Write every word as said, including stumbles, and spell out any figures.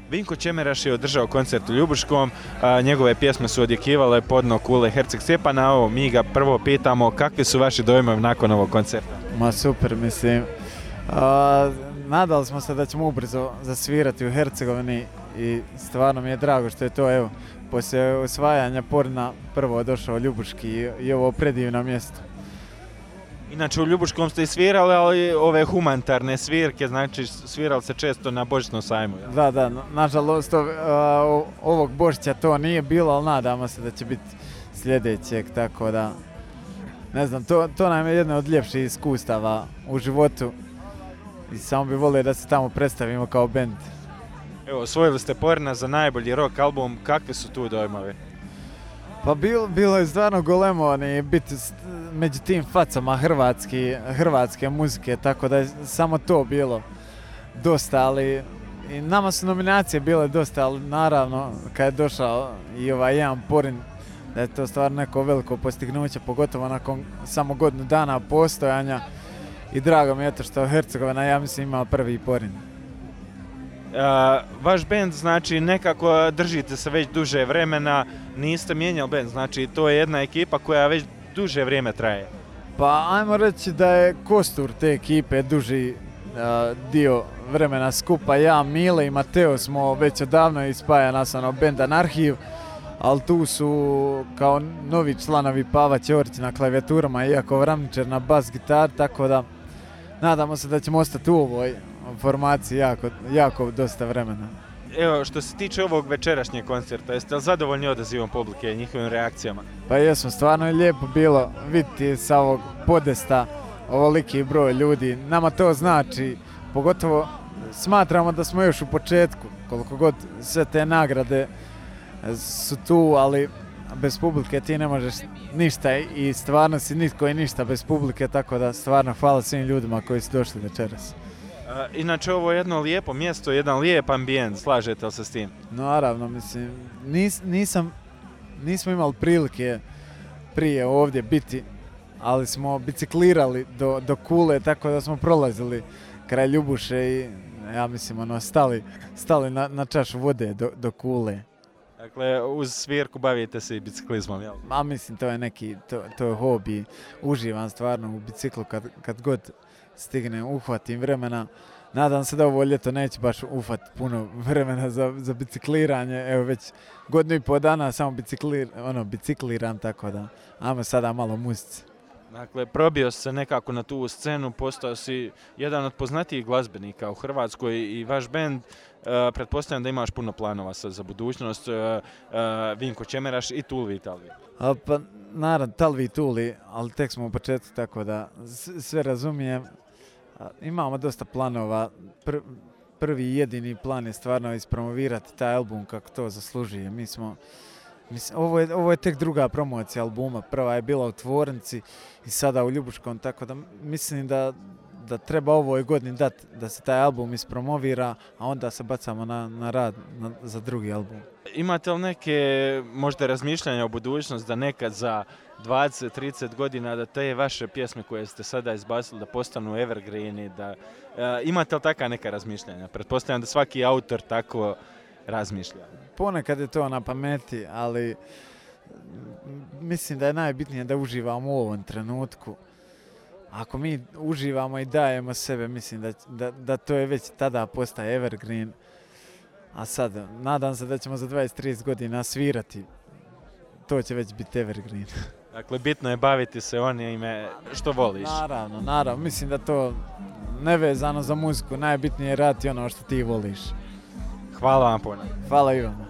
Vinko Čemeraš je održao koncert u Ljubuškom, a, njegove pjesme su odjekivale podno kule Herceg Stjepana. Ovo mi ga prvo pitamo kakvi su vaši dojmovi nakon ovog koncerta? Ma super, mislim. A, nadali smo se da ćemo ubrzo zasvirati u Hercegovini i stvarno mi je drago što je to, evo, poslije osvajanja Porina prvo došao Ljubuški i, i ovo predivno mjesto. Inače u Ljubuškom ste i svirali, ali ove humanitarne svirke, znači svirali se često na Božićnom sajmu. Ja? Da, da, nažalost ov, a, ovog Božića to nije bilo, ali nadamo se da će biti sljedećeg, tako da, ne znam, to, to nam je jedno od ljepših iskustava u životu i samo bi volio da se tamo predstavimo kao bend. Evo, osvojili ste Porina za najbolji rock album, kakvi su tu dojmovi? Pa bilo, bilo je stvarno golemo biti među tim facama hrvatski, hrvatske muzike, tako da je samo to bilo dosta, ali i nama su nominacije bile dosta, ali naravno kad je došao i ovaj jedan Porin, da je to stvarno neko veliko postignuće, pogotovo nakon samo godinu dana postojanja i drago mi je to što Hercegovina, ja mislim, imala prvi Porin. Uh, vaš bend, znači, nekako držite se već duže vremena, niste mijenjali bend, znači to je jedna ekipa koja već duže vrijeme traje. Pa ajmo reći da je kostur te ekipe duži uh, dio vremena skupa. Ja, Mile i Mateo smo već odavno ispaja nas ono bend Anarhiv, ali tu su kao novi članovi Pava Ćorić na klavijaturama i Jakov Ramničar na bas gitar, tako da nadamo se da ćemo ostati u ovoj formaciji jako, jako dosta vremena. Evo, što se tiče ovog večerašnjeg koncerta, jeste li zadovoljni odazivom publike i njihovim reakcijama? Pa jesmo, stvarno je lijepo bilo vidjeti sa ovog podesta ovoliki broj ljudi. Nama to znači, pogotovo smatramo da smo još u početku, koliko god sve te nagrade su tu, ali bez publike ti ne možeš ništa i stvarno si nitko i ništa bez publike, tako da stvarno hvala svim ljudima koji su došli večeras. Inače, ovo je jedno lijepo mjesto, jedan lijep ambijent, slažete li se s tim? Naravno, mislim, nis, nisam, nismo imali prilike prije ovdje biti, ali smo biciklirali do, do Kule, tako da smo prolazili kraj Ljubuše i ja mislim, ono, stali, stali na, na čašu vode do, do Kule. Dakle, uz svirku bavite se i biciklizmom, jel? A mislim, to je neki, to, to je hobi, uživam stvarno u biciklu kad, kad god stignem, uhvatim vremena. Nadam se da ovo ljeto neće baš ufati puno vremena za, za bicikliranje. Evo već godinu i pol dana samo biciklir, ono, bicikliram, tako da ajmo sada malo muzici. Dakle, probio se nekako na tu scenu, postao si jedan od poznatijih glazbenika u Hrvatskoj i vaš bend, uh, pretpostavljam da imaš puno planova za budućnost, uh, uh, Vinko Čemeraš i Tulvi Talvi. A, pa naravno, Talvi i Tuli, ali tek smo u početku, tako da sve razumijem. Imamo dosta planova. Pr, prvi i jedini plan je stvarno ispromovirati taj album kako to zaslužuje. Mi smo, mislim, ovo, je, ovo je tek druga promocija albuma. Prva je bila u Tvornici i sada u Ljubuškom, tako da mislim da, da treba ovoj godini dati da se taj album ispromovira, a onda se bacamo na, na rad na, za drugi album. Imate li neke možda razmišljanja o budućnosti da nekad za dvadeset trideset godina da te vaše pjesme koje ste sada izbacili da postanu evergreeni, da uh, imate li taka neka razmišljanja? Pretpostavljam da svaki autor tako razmišlja. Ponekad je to na pameti, ali mislim da je najbitnije da uživamo u ovom trenutku. Ako mi uživamo i dajemo sebe, mislim da, da, da to je već tada postaje evergreen. A sad, nadam se da ćemo za dvadeset trideset godina svirati. To će već biti evergreen. Dakle, bitno je baviti se onime što voliš. Naravno, naravno. Mislim da to nevezano za muziku najbitnije je raditi ono što ti voliš. Hvala vam puno. Hvala i vama.